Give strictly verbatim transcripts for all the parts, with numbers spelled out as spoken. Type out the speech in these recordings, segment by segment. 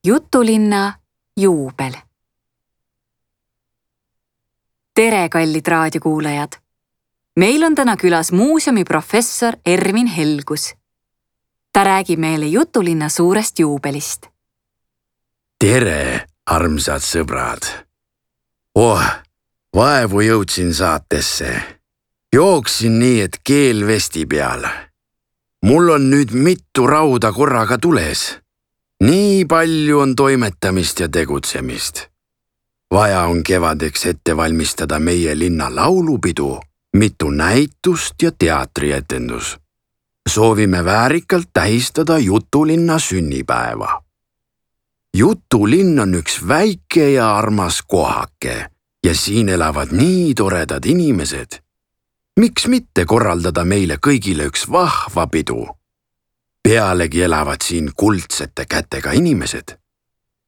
Jutulinna juubel. Tere, kallid raadiokuulajad! Meil on täna külas muuseumi professor Ervin Helgus. Ta räägib meile Jutulinna suurest juubelist. Tere, armsad sõbrad! Oh, vaevu jõudsin saatesse. Jooksin nii, et keel vesti peal. Mul on nüüd mitu rauda korraga tules. Nii palju on toimetamist ja tegutsemist. Vaja on kevadeks ette valmistada meie linna laulupidu, mitu näitust ja teatrietendus. Soovime väärikalt tähistada Jutulinna sünnipäeva. Jutulinn on üks väike ja armas kohake ja siin elavad nii toredad inimesed. Miks mitte korraldada meile kõigile üks vahva pidu? Pealegi elavad siin kuldsete kätega inimesed.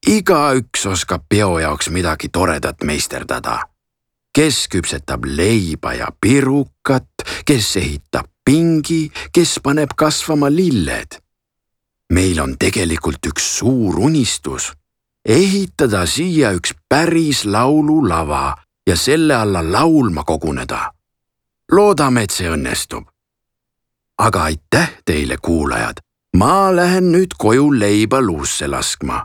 Igaüks oskab peo jaoks midagi toredat meisterdada. Kes küpsetab leiba ja pirukat, kes ehitab pingi, kes paneb kasvama lilled. Meil on tegelikult üks suur unistus. Ehitada siia üks päris laululava ja selle alla laulma koguneda. Loodame, et see õnnestub. Aga aitäh teile, kuulajad. Ma lähen nüüd koju leiba luusse laskma.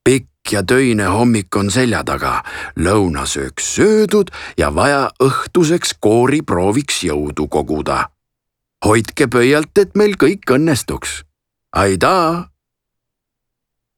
Pikk ja töine hommik on selja taga, lõunasööks söödud ja vaja õhtuseks kooriprooviks jõudu koguda. Hoidke pöialt, et meil kõik õnnestuks. Aidaa!